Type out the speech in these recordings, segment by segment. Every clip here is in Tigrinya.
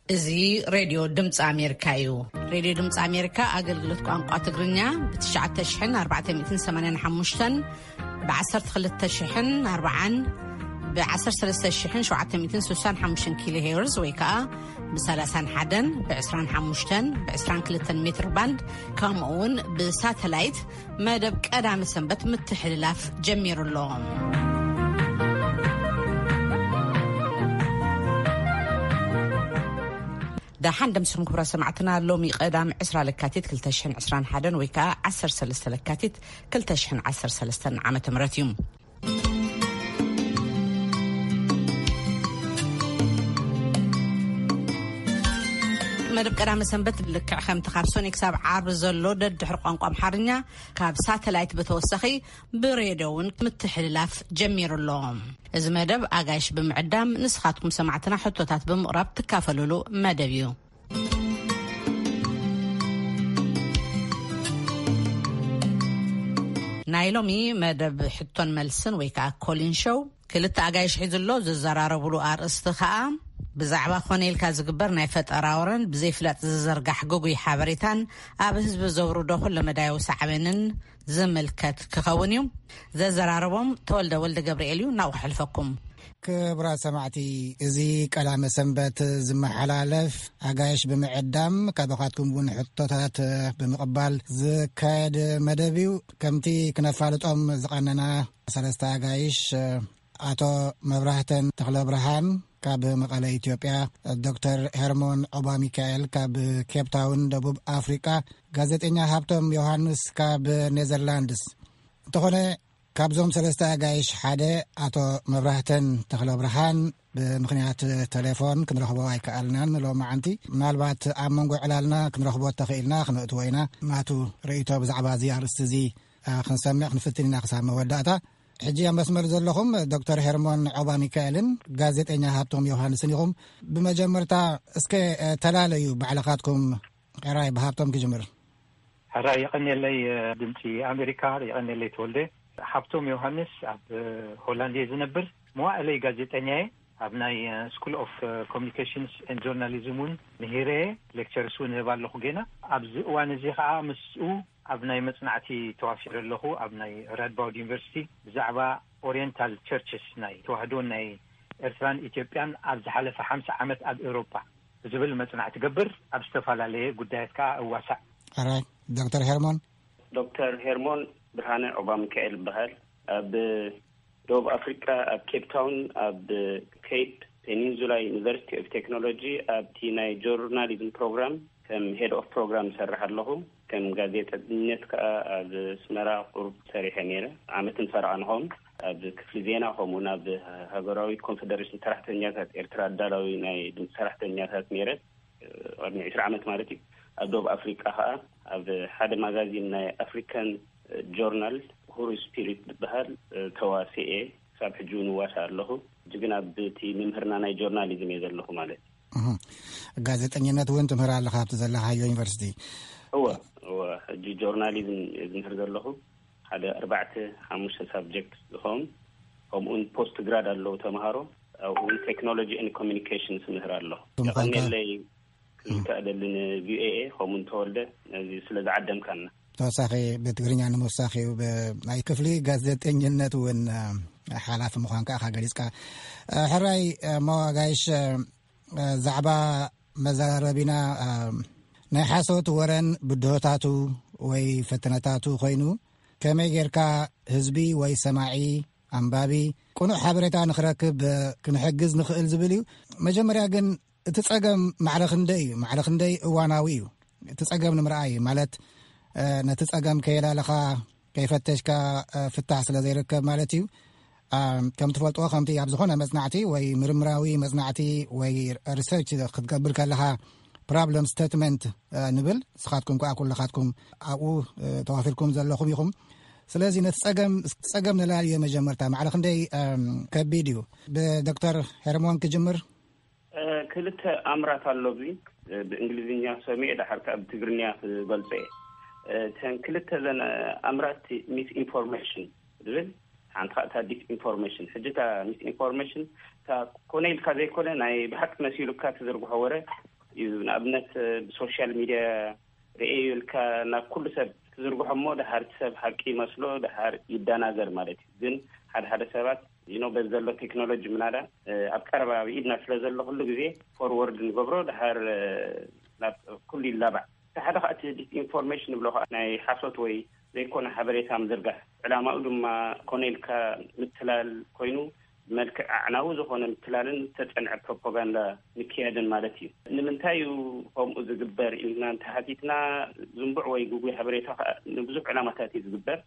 እዚ ሬድዮ ድምፂ ኣሜሪካ እዩ። ሬድዮ ድምፂ ኣሜሪካ ኣገልግሎት ቋንቋ ትግርኛ ብ ትሽዓተ ሽሕን ኣርባዕተ ሚእትን ሰማንያን ሓሙሽተን፣ ብ ዓሰርተ ክልተ ሽሕን ኣርባዓን፣ ብ ዓሰርተ ሰለስተ ሽሕን ሸውዓተ ሚእትን ስሳን ሓሙሽተን ኪሎ ሄርዝ ወይ ከዓ ብ ሰላሳን ሓደን፣ ብ ዕስራን ሓሙሽተን፣ ብ ዕስራን ክልተን ሜትር ባንድ፣ ከምኡ እውን ብሳተላይት መደብ ቀዳመ ሰንበት ምትሕልላፍ ጀሚሩ ኣሎ። ደሓን ደምስኹም ክብራ ሰማዕትና። ሎሚ ቀዳም ዕስራ ለካቲት ክልተ ሽሕን ዕስራን ሓደን ወይ ከዓ ዓሰርተ ሰለስተ ለካቲት ክልተ ሽሕን ዓሰርተ ሰለስተን ዓመተ ምህረት እዩ። መደብ ቀዳመ ሰንበት ልክዕ ከምቲ ካብ ሶኒ ክሳብ ዓርቢ ዘሎ ደድሕሪ ቋንቋ ኣምሓርኛ ካብ ሳተላይት ብተወሳኺ ብሬድዮ እውን ምትሕልላፍ ጀሚሩ ኣሎ። እዚ መደብ ኣጋይሽ ብምዕዳም ንስኻትኩም ሰማዕትና ሕቶታት ብምቕራብ ትካፈሉሉ መደብ እዩ። ናይ ሎሚ መደብ ሕቶን መልስን ወይ ከዓ ኮሊን ሾው ክልተ ኣጋይሽ ሒዙ ኣሎ። ዝዘራረቡሉ ኣርእስቲ ከዓ ብዛዕባ ኮነ ኢልካ ዝግበር ናይ ፈጠራ ወረን ብዘይፍላጥ ዝዘርጋሕ ግጉይ ሓበሬታን ኣብ ህዝቢ ዘውርዶ ኩለ መዳያዊ ሳዕቤንን ዝምልከት ክኸውን እዩ። ዘዘራረቦም ተወልደ ወልደ ገብርኤል እዩ። ናብኡ ክሕልፈኩም። ክቡራት ሰማዕቲ፣ እዚ ቀዳመ ሰንበት ዝመሓላለፍ ኣጋይሽ ብምዕዳም ካባኻትኩም እውን ሕቶታት ብምቕባል ዝካየድ መደብ እዩ። ከምቲ ክነፋልጦም ዝቐነና ሰለስተ ኣጋይሽ፣ ኣቶ መብራህተን ተኽለ ብርሃን ካብ መቐለ ኢትዮጵያ፣ ዶክተር ሄርሞን ዖባ ሚካኤል ካብ ኬፕታውን ደቡብ ኣፍሪቃ፣ ጋዜጠኛ ሃብቶም ዮሃንስ ካብ ኔዘርላንድስ። እንተኾነ ካብዞም ሰለስተ ኣጋይሽ ሓደ ኣቶ መብራህተን ተኽለ ብርሃን ብምኽንያት ቴሌፎን ክንረኽቦ ኣይከኣልናን ሎማዓንቲ። ምናልባት ኣብ መንጎ ዕላልና ክንረኽቦ ተኽኢልና ክነእትዎ ኢና። ናቱ ርእይቶ ብዛዕባ እዚ ኣርእስቲ እዚ፣ አ፣ ክንሰምዕ ክንፍትን ኢና ክሳብ መወዳእታ። ሕጂ ኣብ መስመር ዘለኹም ዶክተር ሄርሞን ዖባ ሚካኤልን ጋዜጠኛ ሃብቶም ዮሃንስን ኢኹም። ብመጀመርታ እስከ፣ አ፣ ተላለዩ ባዕልኻትኩም። ሕራይ ብሃብቶም ክጅምር። ሕራይ የቐንየለይ፣ እ፣ ድምፂ ኣሜሪካ። የቐንየለይ ተወልደ። ሃብቶም ዮሃንስ ኣብ፣ እ፣ ሆላንድ እየ ዝነብር። መዋእለይ ጋዜጠኛ እየ። ኣብ ናይ፣ እ፣ ስኩል ኦፍ፣ እ፣ ኮሚኒኬሽንስ ኤንድ ጆርናሊዝም እውን ምሂረ እየ። ሌክቸርስ እውን እህብ ኣለኹ ጌና። ኣብዚ እዋን እዚ ከዓ ምስኡ ኣብ ናይ መፅናዕቲ ተዋፊረ ኣለኹ። ኣብ ናይ ራድባውድ ዩኒቨርሲቲ ብዛዕባ ኦሪየንታል ቸርችስ ናይ ተዋህዶን ናይ ኤርትራን ኢትዮጵያን ኣብ ዝሓለፈ ሓምሳ ዓመት ኣብ ኤውሮጳ ብዝብል መጽናዕቲ ገብር፣ ኣብ ዝተፈላለየ ጉዳያት ከኣ እዋሳእ። ሕራይ ዶክተር ሄርሞን። ዶክተር ሄርሞን ብርሃነ ዑባ ሚካኤል እበሃል። ኣብ ደቡብ ኣፍሪቃ፣ ኣብ ኬፕ ታውን፣ ኣብ ኬፕ ፔኒንዙላ ዩኒቨርሲቲ ኦፍ ቴክኖሎጂ፣ ኣብቲ ናይ ጆርናሊዝም ፕሮግራም ከም ሄድ ኦፍ ፕሮግራም እሰርሕ ኣለኹ። ከም ጋዜጠኝነት ከኣ ኣብ ኣስመራ ቁሩብ ሰሪሐ ነይረ። ዓመትን ፈረቓን ኸውን ኣብ ክፍሊ ዜና፣ ከምኡውን ኣብ ሃገራዊ ኮንፈደሬሽን ሰራሕተኛታት ኤርትራ ኣዳላዊ ናይ ድምፂ ሰራሕተኛታት ነይረ። ቅድሚ ዕስራ ዓመት ማለት እዩ። ኣብ ደቡብ ኣፍሪቃ ከኣ ኣብ ሓደ ማጋዚን ናይ ኣፍሪካን ጆርናል፣ ሁሩ ስፒሪት ዝበሃል፣ ተዋስኤ፣ ክሳብ ሕጂ እውን እዋሳእ ኣለኹ። ሕጂ ግን ኣብቲ ምምህርና ናይ ጆርናሊዝም እየ ዘለኹ ማለት እዩ። እህ። ጋዜጠኝነት እውን ትምህር ኣለኻ ኣብቲ ዘለኻዮ ዩኒቨርሲቲ? እወ፣ እወ። ሕጂ ጆርናሊዝም እየ ዝምህር ዘለኹ። ሓደ ኣርባዕተ ሓሙሽተ ሳብጀክት ዝኸውን፣ ከምኡውን ፖስት ግራድ ኣለዉ ተምሃሮ። ኣብኡ እውን ቴክኖሎጂ ኤንድ ኮሚኒኬሽንስ ምህር ኣለኹ። እቶም ቋንቋ የቐንየለይ ክዝከ እደሊ ንቪኦኤ፣ ከምኡውን ተወልደ፣ ነዚ ስለ ዝዓደምካና። ተወሳኺ ብትግርኛ ንምውሳኽ እዩ። ብ-፣ ናይ ክፍሊ ጋዜጠኝነት እውን፣ እ፣ ሓላፊ ምዃንካ ኢኻ ገሊጽካ። እ፣ ሕራይ፣ እ፣ መዋጋይሽ፣ እ፣ ዛዕባ መዛረቢና፣ እ፣ ናይ ሓሶት ወረን ብድሆታቱ ወይ ፈተነታቱ ኮይኑ፣ ከመይ ጌርካ ህዝቢ ወይ ሰማዒ፣ ኣንባቢ፣ ቅኑዕ ሓበሬታ ንኽረክብ፣ እ፣ ክንሕግዝ ንኽእል ዝብል እዩ። መጀመርያ ግን እቲ ጸገም ማዕረ ክንደይ እዩ? ማዕረ ክንደይ እዋናዊ እዩ? እቲ ጸገም ንምርኣይ ማለት፣ እ፣ ነቲ ጸገም ከየላለኻ፣ ከይፈተሽካ፣ እ፣ ፍታሕ ስለ ዘይርከብ ማለት እዩ። እ፣ ከም ትፈልጥዎ፣ ከምቲ ኣብ ዝኾነ መጽናዕቲ ወይ ምርምራዊ መጽናዕቲ ወይ ሪሰርች ክትገብር ከለኻ፣ ፕሮብለም ስቴትመንት፣ እ፣ ንብል፣ ንስኻትኩም ከኣ ኩልኻትኩም ኣብኡ፣ እ፣ ተዋፊርኩም ዘለኹም ኢኹም። ስለዚ ነቲ ጸገም፣ ጸገም ነላልዮ መጀመርታ፣ ማዕረ ክንደይ፣ እም፣ ከቢድ እዩ? ብዶክተር ሄርሞን ክጅምር። እ፣ ክልተ ኣምራት ኣሎ። እዚ፣ እ፣ ብእንግሊዝኛ ሰሚዐ፣ ደሓር ከኣ ብትግርኛ ክገልጾ እየ። እ፣ እተን ክልተ ዘን፣ እ፣ ኣምራት፣ ሚስ ኢንፎርሜሽን ዝብል፣ ሓንቲ ከኣ እታ ዲስ ኢንፎርሜሽን። ሕጂ እታ ሚስ ኢንፎርሜሽን፣ እታ ኮነ ኢልካ ዘይኮነ፣ ናይ ብሓቂ መሲሉካ ትዝርግሖ ወረ፣ እዩ። ንኣብነት ብሶሻል ሚድያ ርእየ ኢልካ ናብ ኩሉ ሰብ ትዝርግሖ እሞ፣ ድሓር እቲ ሰብ ሓቂ ይመስሎ፣ ድሓር ይደናገር ማለት እዩ። ግን ሓደ ሓደ ሰባት ኖ በዚ ዘሎ ቴክኖሎጂ ምናዳ ኣብ ቀረባ ኣብ ኢድና ስለ ዘሎ ኩሉ ግዜ ፎርወርድ ንገብሮ፣ ድሓር ናብ ኩሉ ይላባዕ። እቲ ሓደ ከዓ እቲ ዲስኢንፎርሜሽን ንብሎ ከዓ ናይ ሓሶት ወይ ዘይኮነ ሓበሬታ ምዝርጋሕ፣ ዕላማኡ ድማ ኮነ ኢልካ ምትላል ኮይኑ፣ ብመልክዕ ኣዕናዊ ዝኾነ ምትላልን ዝተጸንዐ ፕሮፓጋንዳ ምክያድን ማለት እዩ። ንምንታይ እዩ ከምኡ ዝግበር ኢልና እንተሓቲትና፣ ዝንቡዕ ወይ ግጉይ ሓበሬታ ከዓ ንብዙሕ ዕላማታት እዩ ዝግበር።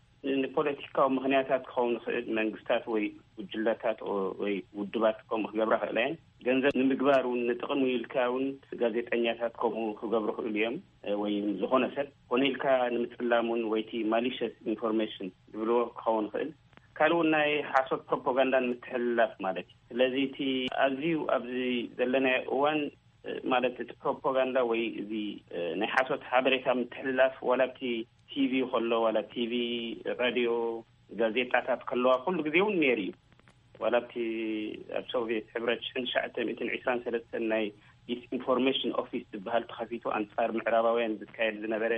ንፖለቲካዊ ምኽንያታት ክኸውን ይኽእል፣ መንግስታት ወይ ጉጅለታት ወይ ውድባት ከምኡ ክገብራ ክእላ እየን። ገንዘብ ንምግባር እውን፣ ንጥቕሚ ኢልካ እውን ጋዜጠኛታት ከምኡ ክገብሩ ክእሉ እዮም። ወይ ዝኾነ ሰብ ኮነ ኢልካ ንምጽላም እውን፣ ወይ እቲ ማሊሸስ ኢንፎርሜሽን ዝብልዎ ክኸውን ይኽእል። ካልእ እውን ናይ ሓሶት ፕሮፓጋንዳ ንምትሕልላፍ ማለት እዩ። ስለዚ እቲ ኣዝዩ ኣብዚ ዘለናዮ እዋን ማለት እቲ ፕሮፓጋንዳ ወይ እዚ ናይ ሓሶት ሓበሬታ ምትሕልላፍ፣ ዋላ ኣብቲ ቲቪ ከሎ፣ ዋላ ቲቪ፣ ራድዮ፣ ጋዜጣታት ከለዋ ኩሉ ግዜ እውን ነይሩ እዩ። ዋላ ኣብቲ ኣብ ሶቪየት ሕብረት ሽሕን ትሽዓተ ሚእትን ዕስራን ሰለስተን ናይ ዲስኢንፎርሜሽን ኦፊስ ዝበሃል ተኸፊቱ ኣንጻር ምዕራባውያን ዝካየድ ዝነበረ፣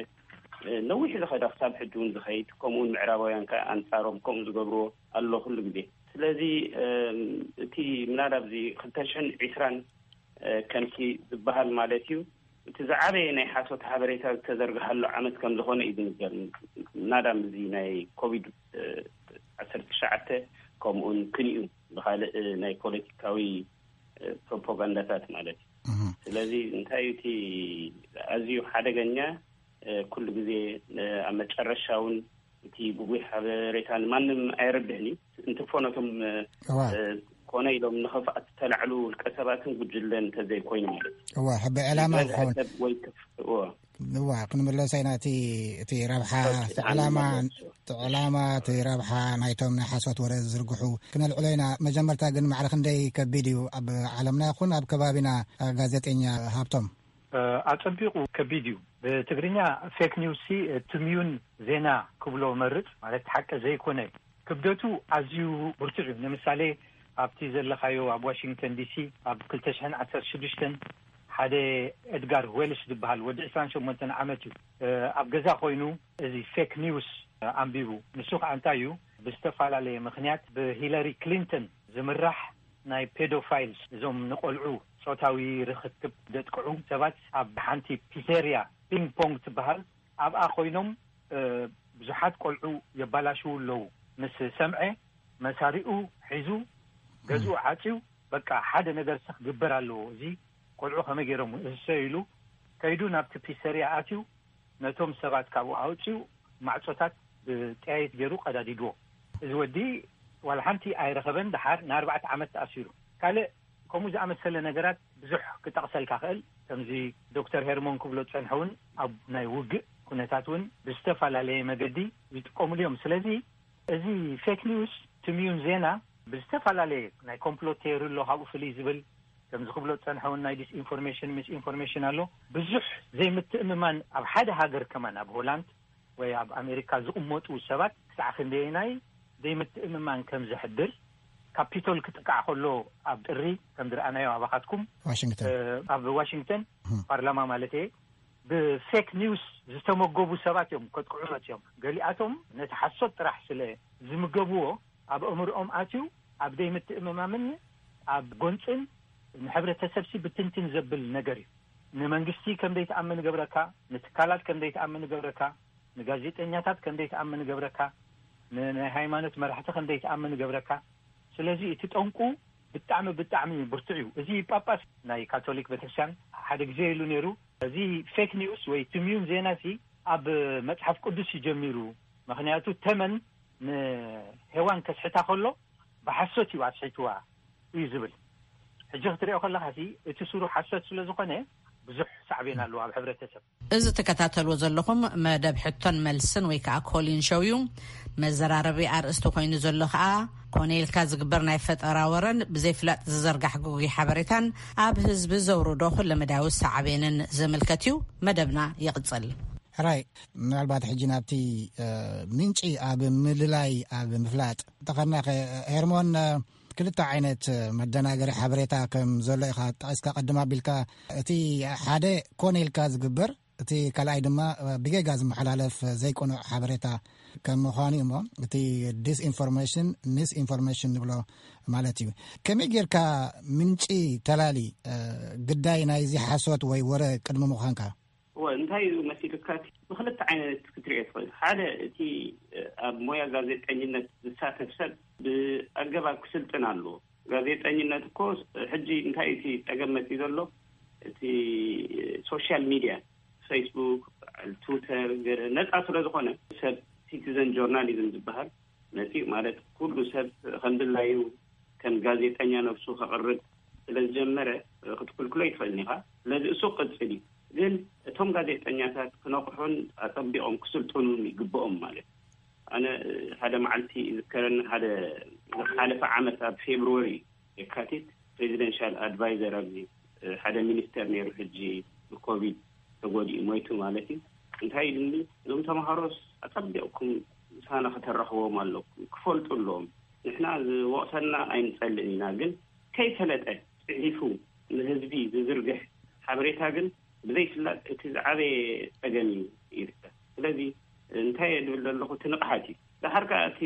ነዊሕ ዝኸዳ ክሳብ ሕጂ እውን ዝኸይድ፣ ከምኡውን ምዕራባውያን ከኣ ኣንጻሮም ከምኡ ዝገብርዎ ኣሎ ኩሉ ግዜ። ስለዚ እቲ ምናዳ ኣብዚ ክልተ ሽሕን ዕስራን ከምቲ ዝበሃል ማለት እዩ፣ እቲ ዝዓበየ ናይ ሓሶት ሓበሬታ ዝተዘርግሓሉ ዓመት ከም ዝኾነ እዩ ዝንገር። ናዳም እዚ ናይ ኮቪድ ዓሰርተ ትሽዓተ ከምኡውን ክንዩ ብኻልእ ናይ ፖለቲካዊ ፕሮፓጋንዳታት ማለት እዩ። ስለዚ እንታይ እዩ እቲ ኣዝዩ ሓደገኛ፣ ኩሉ ግዜ ኣብ መጨረሻ እውን እቲ ግጉይ ሓበሬታ ንማንም ኣየረብሕን እዩ። እንትፎ ነቶም ኮነ ኢሎም ንኽፍኣት ዝተላዕሉ ውልቀ ሰባትን ጉጅለን እንተዘይኮይኑ ማለት እዩ። እዋ፣ ሕቢ ዕላማ ክኸውን። ሰብ ወይ ክፍ-፣ እዋ። እዋ፣ ክንምለሶ ኢና። እቲ፣ እቲ ረብሓ፣ እቲ ዕላማ፣ እቲ ዕላማ፣ እቲ ረብሓ ናይቶም ናይ ሓሶት ወረ ዝዝርግሑ ክነልዕሎ ኢና። መጀመርታ ግን ማዕረ ክንደይ ከቢድ እዩ ኣብ ዓለምና ይኹን ኣብ ከባቢና፣ ጋዜጠኛ ሃብቶም? ኣጸቢቑ ከቢድ እዩ። ብትግርኛ ፌክ ኒውስ ሲ ትምዩን ዜና ክብሎ መርጽ፣ ማለት ሓቂ ዘይኮነ። ክብደቱ ኣዝዩ ብርቱዕ እዩ። ንምሳሌ ኣብቲ ዘለኻዮ ኣብ ዋሽንግተን ዲሲ ኣብ ክልተ ሽሕን ዓሰርተ ሽዱሽተን ሓደ ኤድጋር ዌልሽ ዝበሃል ወዲ ዕስራን ሸሞንተን ዓመት እዩ። ኣብ ገዛ ኮይኑ እዚ ፌክ ኒውስ ኣንቢቡ። ንሱ ከዓ እንታይ እዩ፣ ብዝተፈላለየ ምኽንያት ብሂለሪ ክሊንተን ዝምራሕ ናይ ፔዶፋይልስ፣ እዞም ንቆልዑ ጾታዊ ርኽክብ ዘጥቅዑ ሰባት ኣብ ሓንቲ ፒዘርያ ፒንግ ፖንግ ትበሃል ኣብኣ ኮይኖም ብዙሓት ቆልዑ የባላሽዉ ኣለዉ ምስ ሰምዐ፣ መሳሪኡ ሒዙ ገዝኡ ዓጽዩ፣ በቃ ሓደ ነገር ክግበር ኣለዎ፣ እዚ ቆልዑ ከመይ ገይሮም እሰ ኢሉ ከይዱ ናብቲ ፒሰርያ ኣትዩ ነቶም ሰባት ካብኡ ኣውፅኡ ማዕፆታት ብጠያይት ገይሩ ቀዳዲድዎ። እዚ ወዲ ዋላ ሓንቲ ኣይረኸበን፣ ደሓር ንኣርባዕተ ዓመት ተኣሲሩ። ካልእ ከምኡ ዝኣመሰለ ነገራት ብዙሕ ክጠቕሰልካ ክእል። ከምዚ ዶክተር ሄርሞን ክብሎ ዝፀንሐ እውን ኣብ ናይ ውግእ ኩነታት እውን ብዝተፈላለየ መገዲ ይጥቀሙሉ እዮም። ስለዚ እዚ ፌክ ኒውስ ትምዩን ዜና ብዝተፈላለየ ናይ ኮምፕሎት ቴዮሪ ኣሎ፣ ካብኡ ፍልይ ዝብል ከምዚ ክብሎ ዝፀንሐ እውን ናይ ዲስኢንፎርሜሽን ምስ ኢንፎርሜሽን ኣሎ። ብዙሕ ዘይምትእምማን ኣብ ሓደ ሃገር ከማን ኣብ ሆላንድ ወይ ኣብ ኣሜሪካ ዝቕመጡ ሰባት ክሳዕ ክንደየናይ ዘይምትእምማን ከም ዘሕድር ካፒቶል ክጥቃዕ ከሎ ኣብ ጥሪ ከም ዝረኣናዮ ኣባኻትኩም ዋሽንግተን ኣብ ዋሽንግተን ፓርላማ ማለት እየ ብፌክ ኒውስ ዝተመገቡ ሰባት እዮም ከጥቅዑ መፅዮም። ገሊኣቶም ነቲ ሓሶት ጥራሕ ስለ ዝምገብዎ ኣብ ኣእምርኦም ኣትዩ ኣብ ዘይምትእምማምን ኣብ ጎንፅን ንሕብረተሰብሲ ብትንትን ዘብል ነገር እዩ። ንመንግስቲ ከም ዘይትኣምን ይገብረካ፣ ንትካላት ከም ዘይትኣምን ይገብረካ፣ ንጋዜጠኛታት ከም ዘይትኣምን ይገብረካ፣ ንናይ ሃይማኖት መራሕቲ ከም ዘይትኣምን ይገብረካ። ስለዚ እቲ ጠንቁ ብጣዕሚ ብጣዕሚ ብርቱዕ እዩ። እዚ ጳጳስ ናይ ካቶሊክ ቤተክርስትያን ሓደ ግዜ ኢሉ ነይሩ፣ እዚ ፌክ ኒውስ ወይ ትምዩን ዜና ሲ ኣብ መጽሓፍ ቅዱስ እዩ ጀሚሩ። ምክንያቱ ተመን ንሄዋን ከስሕታ ከሎ ብሓሶት እዩ ኣስሒትዋ እዩ ዝብል። ሕጂ ክትሪኦ ከለኻ ሲ እቲ ስሩ ሓሶት ስለ ዝኾነ ብዙሕ ሳዕቤን ኣለዎ ኣብ ሕብረተሰብ። እዚ ትከታተልዎ ዘለኹም መደብ ሕቶን መልስን ወይ ከዓ ኮሊን ሾው እዩ። መዘራረቢ ኣርእስቲ ኮይኑ ዘሎ ከዓ ኮነ ኢልካ ዝግበር ናይ ፈጠራ ወረን ብዘይፍላጥ ዝዘርጋሕ ግጉይ ሓበሬታን ኣብ ህዝቢ ዘውርዶ ኩለመዳያዊ ሳዕቤንን ዝምልከት እዩ። መደብና ይቕጽል። ሕራይ፣ ምናልባት ሕጂ ናብቲ ምንጪ ኣብ ምልላይ ኣብ ምፍላጥ እንተኸድና ኸ ሄርሞን፣ ክልተ ዓይነት መደናገሪ ሓበሬታ ከም ዘሎ ኢኻ ጠቒስካ ቀድም ኣቢልካ። እቲ ሓደ ኮነ ኢልካ ዝግበር፣ እቲ ካልኣይ ድማ ብጌጋ ዝመሓላለፍ ዘይቅኑዕ ሓበሬታ ከም ምዃኑ እዩ። እሞ እቲ ዲስኢንፎርሜሽን፣ ሚስኢንፎርሜሽን ንብሎ ማለት እዩ። ከመይ ጌርካ ምንጪ ተላሊ ግዳይ ናይዚ ሓሶት ወይ ወረ ቅድሚ ምዃንካ? እወ፣ እንታይ እዩ መሲልካ? እቲ ብክልተ ዓይነት ክትሪኦ ትኽእል። ሓደ፣ እቲ ኣብ ሞያ ጋዜጠኝነት ዝሳተፍ ሰብ ብኣገባብ ክስልጥን ኣለዎ። ጋዜጠኝነት እኮ ሕጂ እንታይ እቲ ጸገም መጺኡ ዘሎ? እቲ ሶሻል ሚድያ፣ ፌስቡክ፣ ትዊተር፣ ገለ ነጻ ስለ ዝኾነ፣ ሰብ ሲቲዘን ጆርናሊዝም ዝበሃል መጺኡ፣ ማለት ኩሉ ሰብ ከም ድላዩ ከም ጋዜጠኛ ነብሱ ከቕርብ ስለ ዝጀመረ ክትክልክሎ ይትኽእልን ኢኻ። ስለዚ እሱ ቅጽል እዩ። ግን እቶም ጋዜጠኛታት ክነቕሑን ኣጸቢቖም ክስልጥኑን ይግብኦም ማለት እዩ። ኣነ ሓደ መዓልቲ ይዝከረኒ፣ ሓደ ዝሓለፈ ዓመት ኣብ ፌብሩዋሪ፣ የካቲት፣ ፕሬዚደንሻል ኣድቫይዘር ኣብዚ ሓደ ሚኒስተር ነይሩ፣ ሕጂ ብኮቪድ ተጎዲኡ ሞይቱ ማለት እዩ። እንታይ ኢሉኒ፣ እዞም ተምሃሮስ ኣጸቢቕኩም ምሳና ከተራኽቦም ኣለኩም፣ ክፈልጡ ኣለዎም። ንሕና ዝወቕሰና ኣይንጸልእን ኢና፣ ግን ከይፈለጠ ጽሒፉ ንህዝቢ ዝዝርግሕ ሓበሬታ ግን ብዘይፍላጥ እቲ ዝዓበየ ጸገም እዩ ይርከብ። ስለዚ እንታይ እየ ዝብል ዘለኹ፣ እቲ ንቕሓት እዩ። ደሓር ከኣ እቲ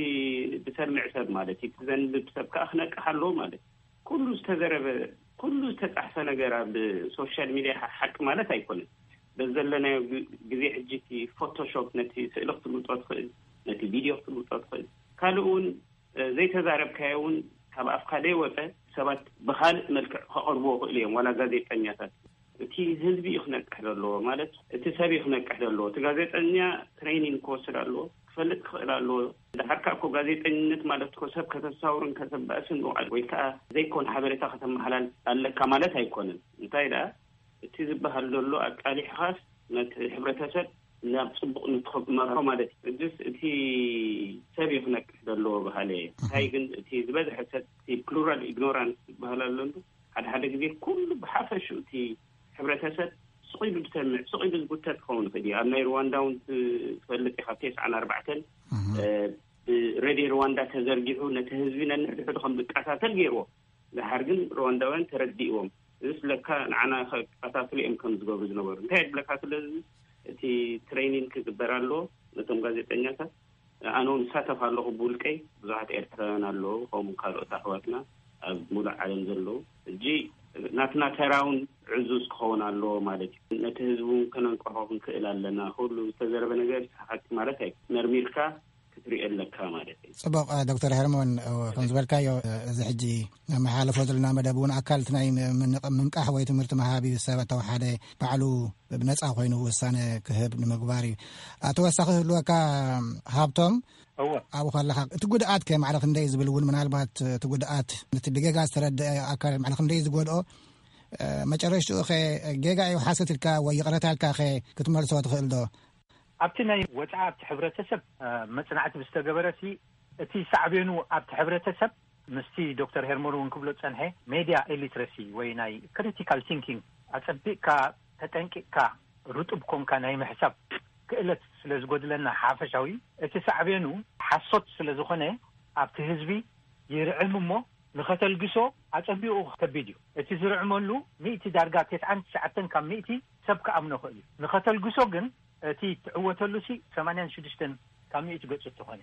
ዝሰምዕ ሰብ ማለት እዩ፣ እቲ ዘንብብ ሰብ ከኣ ክነቅሕ ኣለዎ ማለት እዩ። ኩሉ ዝተዘረበ፣ ኩሉ ዝተጻሕፈ ነገር ኣብ ሶሻል ሚድያ ሓ-፣ ሓቂ ማለት ኣይኮነን። በዚ ዘለናዮ ግ-፣ ግዜ ሕጂ እቲ ፎቶሾፕ ነቲ ስእሊ ክትልውጦ ትኽእል፣ ነቲ ቪድዮ ክትልውጦ ትኽእል። ካልእ እውን፣ እ፣ ዘይተዛረብካዮ እውን ካብ ኣፍካ ዘይወጸ ሰባት ብኻልእ መልክዕ ከቕርብዎ ይኽእሉ እዮም፣ ዋላ ጋዜጠኛታት። እቲ ህዝቢ እዩ ክነቅሕ ዘለዎ፣ ማለት እቲ ሰብ እዩ ክነቅሕ ዘለዎ። እቲ ጋዜጠኛ ትሬኒንግ ክወስድ ኣለዎ፣ ክፈልጥ ክኽእል ኣለዎ። ደሓር ከኣ እኮ ጋዜጠኝነት ማለት እኮ ሰብ ከተሳውርን ከተባእስን ውዓል ወይ ከኣ ዘይኮን ሓበሬታ ከተመሓላልፍ ኣለካ ማለት ኣይኮነን። እንታይ ደኣ፣ እቲ ዝበሃል ዘሎ ኣቃሊሕኻስ ነቲ ሕብረተሰብ ናብ ጽቡቕ ንትኸመሮ ማለት እዩ። ሕጅስ እቲ ሰብ እዩ ክነቅሕ ዘለዎ በሃለ እየ። እንታይ ግን እቲ ዝበዝሐ ሰብ፣ እቲ ፕሉራል ኢግኖራንስ ዝበሃል ኣሎ እንዶ፣ ሓደ ሓደ ግዜ ኩሉ ብሓፈሽኡ እቲ ሕብረተሰብ ስቕ ኢሉ ዝሰምዕ፣ ስቕ ኢሉ ዝጉተት ክኸውን ይኽእል እዩ። ኣብ ናይ ሩዋንዳ እውን ትፈልጥ ኢኻ፣ ኣብ ተስዓን ኣርባዕተን፣ እህ። እ፣ ብሬድዮ ሩዋንዳ ተዘርጊሑ ነቲ ህዝቢ ነንሕድሕዱ ከም ዝቀሳሰል ገይርዎ። ደሓር ግን ሩዋንዳውያን ተረዲእዎም። እዚስ ለካ ንዓና ከቀሳስሉ እዮም ከም ዝገብሩ ዝነበሩ። እንታይ የድለካ? ስለዚ እቲ ትሬኒንግ ክግበር ኣለዎ። ነቶም ጋዜጠኛታት ኣነ እውን እሳተፍ ኣለኹ ብውልቀይ። ብዙሓት ኤርትራውያን ኣለዉ፣ ከምኡ ካልኦት ኣሕዋትና ኣብ ሙሉእ ዓለም ዘለዉ። ሕጂ ናትና ተራ እውን ዕዙዝ ክኸውን ኣለዎ ማለት እዩ። ነቲ ህዝቢ እውን ከነንቅሖ ክንክእል ኣለና። ኩሉ ዝተዘረበ ነገር ሓቂ ማለት ኣይ-፣ መርሚርካ ክትሪኦ ኣለካ ማለት እዩ። ጽቡቕ፣ ዶክተር ሄርሞን፣ ከም ዝበልካዮ፣ እዚ ሕጂ ነመሓላልፎ ዘለና መደብ እውን ኣካል እቲ ናይ ም-፣ ምንቕ-፣ ምንቃሕ ወይ ትምህርቲ መሃቢ፣ ሰብ ተወሓደ ባዕሉ ብነጻ ኮይኑ ውሳነ ክህብ ንምግባር እዩ። ተወሳኺ ህልወካ ሃብቶም፣ እወ። ኣብኡ ከለኻ እቲ ጉድኣት ከ ማዕረ ክንደይ ዝብል እውን ምናልባት እቲ ጉድኣት ነቲ ብጌጋ ዝተረድአ ኣካል ማዕረ ክንደይ ዝጎድኦ፣ እ፣ መጨረሽትኡ ከ ጌጋ እዩ ሓሰት ኢልካ ወይ ይቕረታ ኢልካ ከ ክትመልሶ ትኽእል ዶ? ኣብቲ ናይ ወጻኢ ኣብቲ ሕብረተሰብ፣ እ፣ መጽናዕቲ ብዝተገበረሲ እቲ ሳዕቤኑ ኣብቲ ሕብረተሰብ ምስቲ ዶክተር ሄርሞን እውን ክብሎ ጸንሐ ሜድያ ኢሊትረሲ ወይ ናይ ክሪቲካል ቲንኪንግ ኣጸቢቕካ ተጠንቂቕካ ርጡብ ኮንካ ናይ ምሕሳብ ክእለት ስለ ዝጎድለና ሓፈሻዊ እቲ ሳዕቤኑ ሓሶት ስለ ዝኾነ ኣብቲ ህዝቢ ይርዕም እሞ ንኸተልግሶ ኣጸቢቑ ከቢድ እዩ። እቲ ዝርዕመሉ ሚእቲ ዳርጋ ተስዓን ትሽዓተን ካብ ሚእቲ ሰብ ክኣምኖ ክእል እዩ። ንኸተልግሶ ግን እቲ ትዕወተሉ ሲ ሰማንያን ሽዱሽተን ካብ ሚእቲ ገጹ ተኾነ።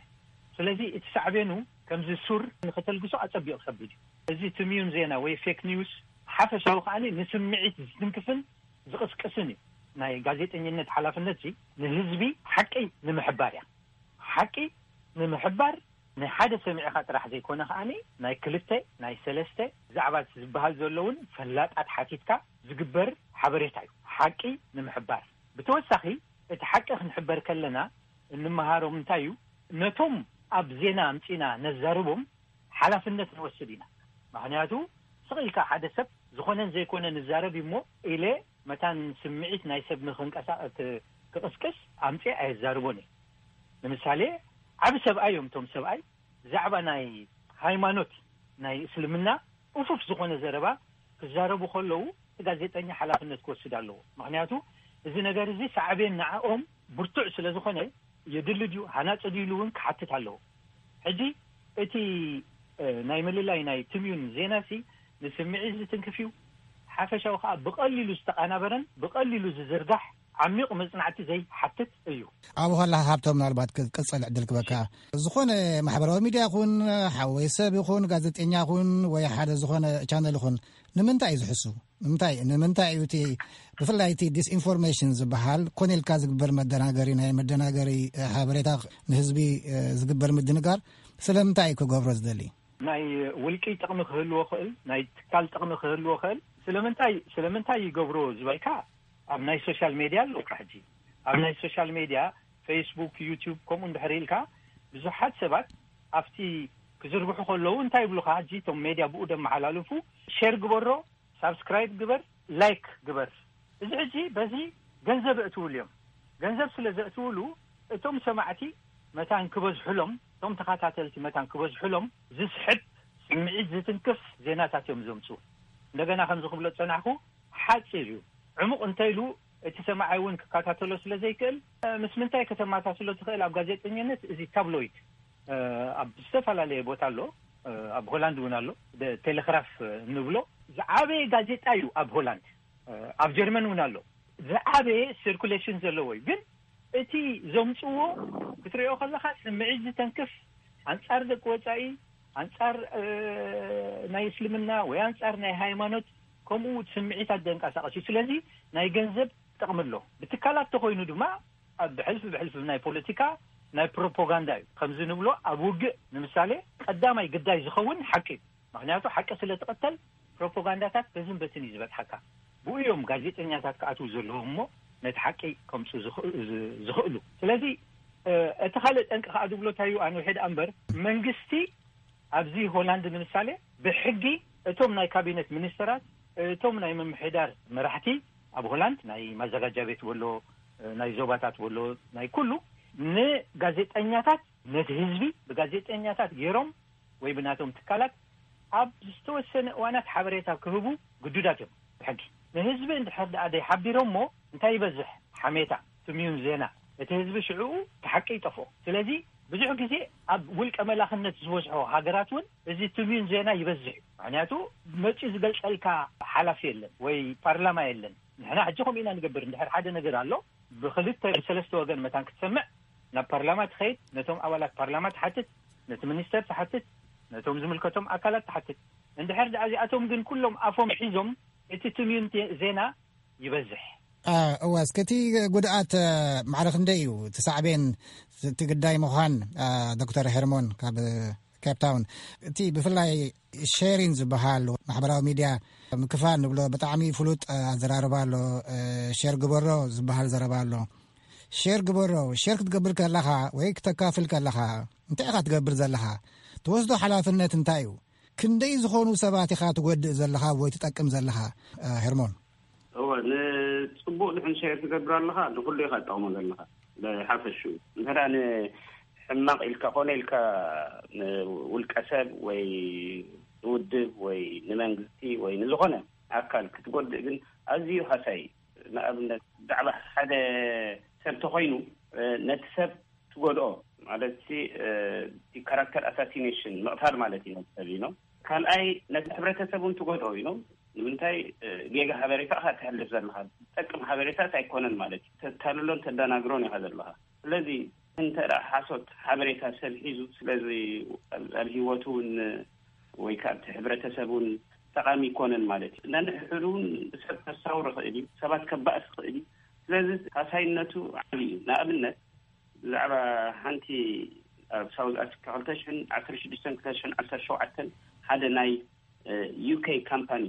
ስለዚ እቲ ሳዕቤኑ ከምዚ ሱር ንኸተልግሶ ኣጸቢቑ ከቢድ እዩ። እዚ ትምዩን ዜና ወይ ፌክ ኒውስ ሓፈሻዊ ከኣ ንስምዒት ዝትንክፍን ዝቕስቅስን እዩ። ናይ ጋዜጠኝነት ሓላፍነት ሲ ንህዝቢ ሓቂ ንምሕባር እያ። ሓቂ ንምሕባር ናይ ሓደ ሰሚዕኻ ጥራሕ ዘይኮነ ከኣ ናይ ክልተ ናይ ሰለስተ ዛዕባ ዝበሃል ዘሎ እውን ፈላጣት ሓቲትካ ዝግበር ሓበሬታ እዩ። ሓቂ ንምሕባር ብተወሳኺ እቲ ሓቂ ክንሕበር ከለና እንመሃሮም እንታይ እዩ? ነቶም ኣብ ዜና ኣምጺና ነዛርቦም ሓላፍነት ንወስድ ኢና። ምኽንያቱ ስቕ ኢልካ ሓደ ሰብ ዝኾነን ዘይኮነን ንዛረብ እዩ እሞ ኢለ መታን ስምዒት ናይ ሰብ ንኽንቀሳ-፣ ክ-፣ ክቕስቅስ ኣምጺ ኣየዛርቦን እየ። ንምሳሌ ዓቢ ሰብኣይ እዮም እቶም ሰብኣይ ብዛዕባ ናይ ሃይማኖት ናይ እስልምና እፉፍ ዝኾነ ዘረባ ክዛረቡ ከለዉ እቲ ጋዜጠኛ ሓላፍነት ክወስድ ኣለዎ። ምኽንያቱ እዚ ነገር እዚ ሳዕቤን ንዕኦም ብርቱዕ ስለ ዝኾነ የድሊ ድዩ ሃናጺ ድዩ ኢሉ እውን ክሓትት ኣለዎ። ሕጂ እቲ እ፣ ናይ ምልላይ ናይ ትምዩን ዜናሲ ንስምዒት ዝትንክፍ እዩ። ሓፈሻዊ ከዓ ብቐሊሉ ዝተቓናበረን ብቐሊሉ ዝዝርጋሕ ዓሚቕ መጽናዕቲ ዘይሓትት እዩ። ኣብ ኋላ ሃብቶም ምናልባት ክ- ቅጽል ዕድል ክበካ። ዝኾነ ማሕበራዊ ሚድያ ይኹን ሓወይ ሰብ ይኹን ጋዜጠኛ ይኹን ወይ ሓደ ዝኾነ ቻነል ይኹን ንምንታይ እዩ ዝሕሱ? ንምንታይ ንምንታይ እዩ እቲ ብፍላይ እቲ ዲስኢንፎርሜሽን ዝበሃል ኮነ ኢልካ ዝግበር መደናገሪ ናይ መደናገሪ እ፣ ሓበሬታ ንህዝቢ እ፣ ዝግበር ምድንጋር ስለምንታይ እዩ ክገብሮ ዝደሊ? ናይ ውልቂ ጥቕሚ ክህልዎ ክእል፣ ናይ ትካል ጥቕሚ ክህልዎ ክእል። ስለምንታይ ስለምንታይ ይገብሮ ዝበልካ ኣብ ናይ ሶሻል ሜድያ ኣለካ። ሕጂ ኣብ ናይ ሶሻል ሜድያ ፌስቡክ፣ ዩቲዩብ ከምኡ እንድሕር ኢልካ ብዙሓት ሰባት ኣብቲ ክዝርግሑ ከለዉ እንታይ ይብሉካ? ሕጂ እቶም ሜድያ ብኡ ደመሓላልፉ ሼር ግበሮ፣ ሳብስክራይብ ግበር፣ ላይክ ግበር። እዚ ሕጂ በዚ ገንዘብ እእትውሉ እዮም። ገንዘብ ስለ ዘእትውሉ እቶም ሰማዕቲ መታን ክበዝሑሎም፣ እቶም ተኸታተልቲ መታን ክበዝሑሎም ዝስሕብ ስምዒት ዝትንክፍ ዜናታት እዮም ዘምፁ። እንደገና ከምዚ ክብሎ ዝፀናሕኩ ሓፂር እዩ። ዕሙቕ እንተኢሉ እቲ ሰማዓይ እውን ክከታተሎ ስለ ዘይክእል፣ ምስ ምንታይ ከተመሳስሎ ትኽእል? ኣብ ጋዜጠኝነት እዚ ታብሎይድ ኣብ ዝተፈላለየ ቦታ ኣሎ። ኣብ ሆላንድ እውን ኣሎ። ቴሌግራፍ እንብሎ ዝዓበየ ጋዜጣ እዩ ኣብ ሆላንድ። ኣብ ጀርመን እውን ኣሎ። ዝዓበየ ሲርኩሌሽን ዘለዎ እዩ። ግን እቲ ዘምፅዎ ክትሪኦ ከለካ ስምዒት ዝተንክፍ፣ ኣንፃር ደቂ ወፃኢ፣ ኣንፃር ናይ እስልምና ወይ ኣንፃር ናይ ሃይማኖት፣ ከምኡ ስምዒታት ዘንቀሳቀስ እዩ። ስለዚ ናይ ገንዘብ ጥቕሚ ኣሎ። ብትካላት ተኮይኑ ድማ ኣብ ብሕልፊ ብሕልፊ ናይ ፖለቲካ ናይ ፕሮፓጋንዳ እዩ። ከምዚ ንብሎ ኣብ ውግእ ንምሳሌ ቀዳማይ ግዳይ ዝኸውን ሓቂ እዩ። ምክንያቱ ሓቂ ስለ ትቐተል ፕሮፓጋንዳታት በዝን በትን እዩ ዝበፅሓካ። ብኡ እዮም ጋዜጠኛታት ክኣትዉ ዘለዎም እሞ ነቲ ሓቂ ከምፁ ዝኽእሉ። ስለዚ እቲ ካልእ ጠንቂ ከዓ ዝብሎ እንታይ እዩ? ኣነ ውሕድ እምበር መንግስቲ ኣብዚ ሆላንድ ንምሳሌ ብሕጊ እቶም ናይ ካቢነት ሚኒስተራት፣ እቶም ናይ ምምሕዳር መራሕቲ ኣብ ሆላንድ ናይ ማዘጋጃ ቤት ወሎ፣ ናይ ዞባታት ወሎ፣ ናይ ኩሉ ንጋዜጠኛታት ነቲ ህዝቢ ብጋዜጠኛታት ገይሮም ወይ ብናቶም ትካላት ኣብ ዝተወሰነ እዋናት ሓበሬታ ክህቡ ግዱዳት እዮም ብሕጊ። ንህዝቢ እንድሕር ደኣ ዘይሓቢሮሞ እንታይ ይበዝሕ? ሓሜታ፣ ትምዩን ዜና። እቲ ህዝቢ ሽዕኡ እቲ ሓቂ ይጠፍኦ። ስለዚ ብዙሕ ግዜ ኣብ ውልቀ መላኽነት ዝበዝሖ ሃገራት እውን እዚ ትምዩን ዜና ይበዝሕ እዩ። ምክንያቱ መፂኡ ዝገልፀልካ ሓላፊ የለን ወይ ፓርላማ የለን። ንሕና ሕጂ ከምኡ ኢና ንገብር። እንድሕር ሓደ ነገር ኣሎ ብክልተ ብሰለስተ ወገን መታን ክትሰምዕ ናብ ፓርላማ ትኸይድ፣ ነቶም ኣባላት ፓርላማ ትሓትት፣ ነቲ ሚኒስተር ትሓትት፣ ነቶም ዝምልከቶም ኣካላት ትሓትት። እንድሕር ደኣ እዚኣቶም ግን ኩሎም ኣፎም ሒዞም እቲ ትምዩን ዜና ይበዝሕ። እወ፣ እስከ እቲ ጉድኣት ማዕረ ክንደይ እዩ? እቲ ሳዕቤን፣ እቲ ግዳይ ምዃን ዶክተር ሄርሞን ካብ ኬፕ ታውን፣ እቲ ብፍላይ ሼሪን ዝበሃል ማሕበራዊ ሚድያ ምክፋል ንብሎ ብጣዕሚ ፍሉጥ ኣዘራርባ ኣሎ። ሼር ግበሮ ዝበሃል ዘረባ ኣሎ። ሼር ግበሮ፣ ሼር ክትገብር ከለኻ ወይ ክተካፍል ከለኻ እንታይ ኢኻ ትገብር ዘለኻ? ትወስዶ ሓላፍነት እንታይ እዩ? ክንደይ ዝኾኑ ሰባት ኢኻ ትጎድእ ዘለኻ ወይ ትጠቅም ዘለኻ? ሄርሞን። እወ፣ ንጽቡቕ ድሕን ሸር ትገብር ኣለኻ፣ ንኹሉ ኢኻ ትጠቕሞ ዘለኻ። ብሓፈሹ እንተ ደኣ ንሕማቕ ኢልካ ኮነ ኢልካ ንውልቀ ሰብ ወይ ንውድብ ወይ ንመንግስቲ ወይ ንዝኾነ ኣካል ክትጎድእ ግን ኣዝዩ ሃሳይ እዩ። ንኣብነት ብዛዕባ ሓደ ሰብ ተኾይኑ፣ ነቲ ሰብ ትጎድኦ ማለት ሲ ካራክተር ኣሳሲኔሽን ምቕታል ማለት እዩ ነቲ ሰብ ኢኖ። ካልኣይ ነቲ ሕብረተሰብ እውን ትጎድኦ ኢኖ። ንምንታይ? ጌጋ ሓበሬታ ኢኻ ትሕልፍ ዘለኻ፣ ዝጠቅም ሓበሬታት ኣይኮነን ማለት እዩ። ተታልሎን ተደናግሮን ኢኻ ዘለኻ። ስለዚ እንተ ደኣ ሓሶት ሓበሬታ ሰብ ሒዙ ስለዚ ኣብ ህይወቱ እውን ወይ ከዓ ኣብቲ ሕብረተሰብ እውን ጠቓሚ ይኮነን ማለት እዩ። ነንሕድሕዱ እውን ሰብ ከሳውር ይኽእል እዩ፣ ሰባት ከባእስ ይኽእል እዩ። ስለዚ ሃሳይነቱ ዓብዪ እዩ። ንኣብነት ብዛዕባ ሓንቲ ኣብ ሳውዝ ኣፍሪካ ክልተ ሽሕን ዓሰርተ ሽዱሽተን ክልተ ሽሕን ዓሰርተ ሸውዓተን ሓደ ናይ ዩኬ ካምፓኒ